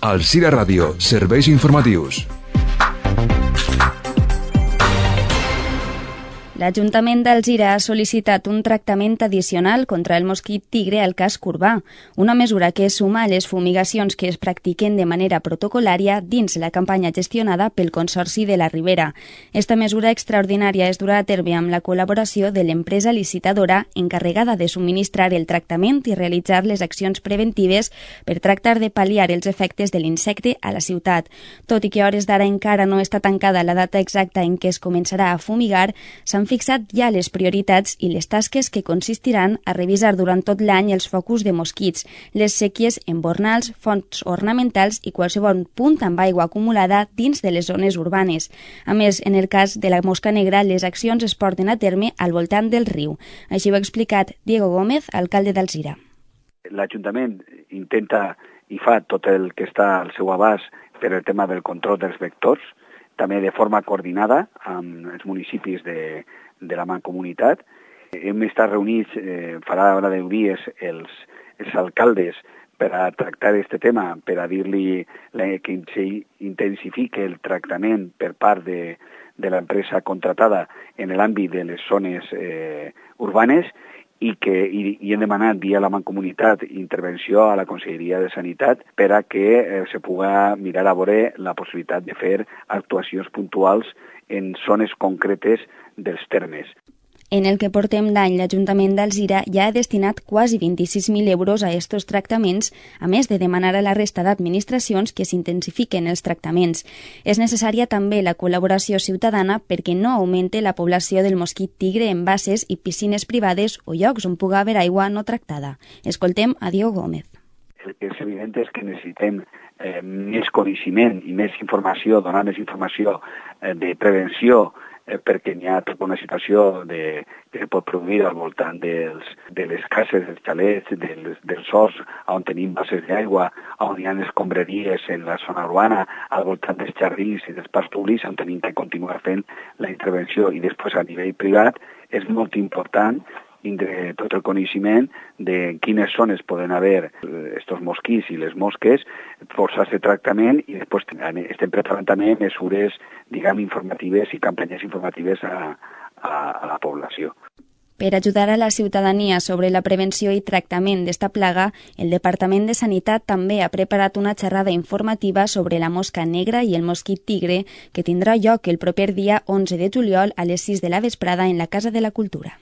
Alzira Ràdio, serveis informatius. L'Ajuntament d'Alzira ha sol·licitat un tractament addicional contra el mosquit tigre al casc urbà, una mesura que es suma a les fumigacions que es practiquen de manera protocolària dins la campanya gestionada pel Consorci de la Ribera. Esta mesura extraordinària es durà a terme amb la col·laboració de l'empresa licitadora encarregada de subministrar el tractament i realitzar les accions preventives per tractar de pal·liar els efectes de l'insecte a la ciutat. Tot i que a hores d'ara encara no està tancada la data exacta en què es començarà a fumigar, s'han fixat ja les prioritats i les tasques que consistiran a revisar durant tot l'any els focus de mosquits, les séquies embornals, fonts ornamentals i qualsevol punt amb aigua acumulada dins de les zones urbanes. A més, en el cas de la mosca negra, les accions es porten a terme al voltant del riu. Així ho ha explicat Diego Gómez, alcalde d'Alzira. L'Ajuntament intenta i fa tot el que està al seu abast per el tema del control dels vectors, també de forma coordinada amb els municipis de la Mancomunitat. Hem estat reunits, farà ara 10 dies, els alcaldes per a tractar aquest tema, per a dir-li que s'intensifiqui el tractament per part de l'empresa contratada en l'àmbit de les zones urbanes i hem demanat via la Mancomunitat intervenció a la Conselleria de Sanitat per a que se puga mirar a veure la possibilitat de fer actuacions puntuals en zones concretes dels termes. En el que portem d'any, l'Ajuntament d'Alzira ja ha destinat quasi 26.000 euros a estos tractaments, a més de demanar a la resta d'administracions que s'intensifiquen els tractaments. És necessària també la col·laboració ciutadana perquè no augmente la població del mosquit tigre en basses i piscines privades o llocs on pugui haver aigua no tractada. Escoltem a Diego Gómez. El que és evident és que necessitem més coneixement i més informació, donar més informació de prevenció, perquè hi ha tota una situació que pot produir al voltant de les cases, dels xalets, dels horts, on tenim bases d'aigua, on hi ha escombraries en la zona urbana, al voltant dels jardins i dels parcs públics, on tenim que continuar fent la intervenció. I després a nivell privat és molt important tindre tot el coneixement de quines zones poden haver estos mosquits i les mosques, forçar aquest tractament i després estem preparant també mesures, informatives i campanyes informatives a la població. Per ajudar a la ciutadania sobre la prevenció i tractament d'esta plaga, el Departament de Sanitat també ha preparat una xerrada informativa sobre la mosca negra i el mosquit tigre que tindrà lloc el proper dia 11 de juliol a les 6 de la vesprada en la Casa de la Cultura.